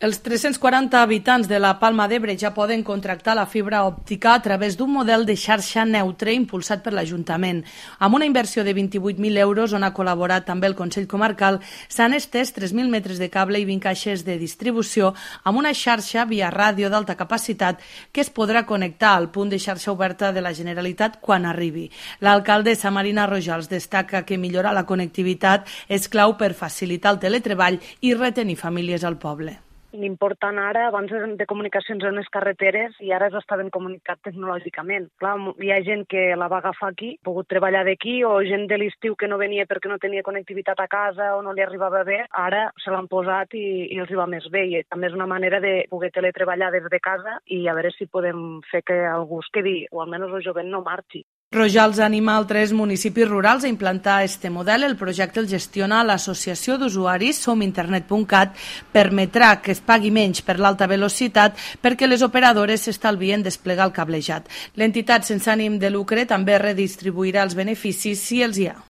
Els 340 habitants de la Palma d'Ebre ja poden contractar la fibra òptica a través d'un model de xarxa neutre impulsat per l'Ajuntament. Amb una inversió de 28.000 euros, on ha col·laborat també el Consell Comarcal, s'han estès 3.000 metres de cable i 20 caixes de distribució amb una xarxa via ràdio d'alta capacitat que es podrà connectar al punt de xarxa oberta de la Generalitat quan arribi. L'alcaldessa Marina Rojals destaca que millorar la connectivitat és clau per facilitar el teletreball i retenir famílies al poble. L'important ara, abans de comunicacions en les carreteres, i ara s'està ben comunicat tecnològicament. Clar, hi ha gent que la va agafar aquí, ha pogut treballar d'aquí, o gent de l'estiu que no venia perquè no tenia connectivitat a casa o no li arribava bé, ara se l'han posat i els hi va més bé. I també és una manera de poder teletreballar des de casa i a veure si podem fer que algú es quedi, o almenys el jovent no marxi. Rojals anima altres municipis rurals a implantar este model. El projecte el gestiona l'Associació d'Usuaris sominternet.cat. Permetrà que es pagui menys per l'alta velocitat perquè les operadores s'estalvien desplegar el cablejat. L'entitat sense ànim de lucre també redistribuirà els beneficis si els hi ha.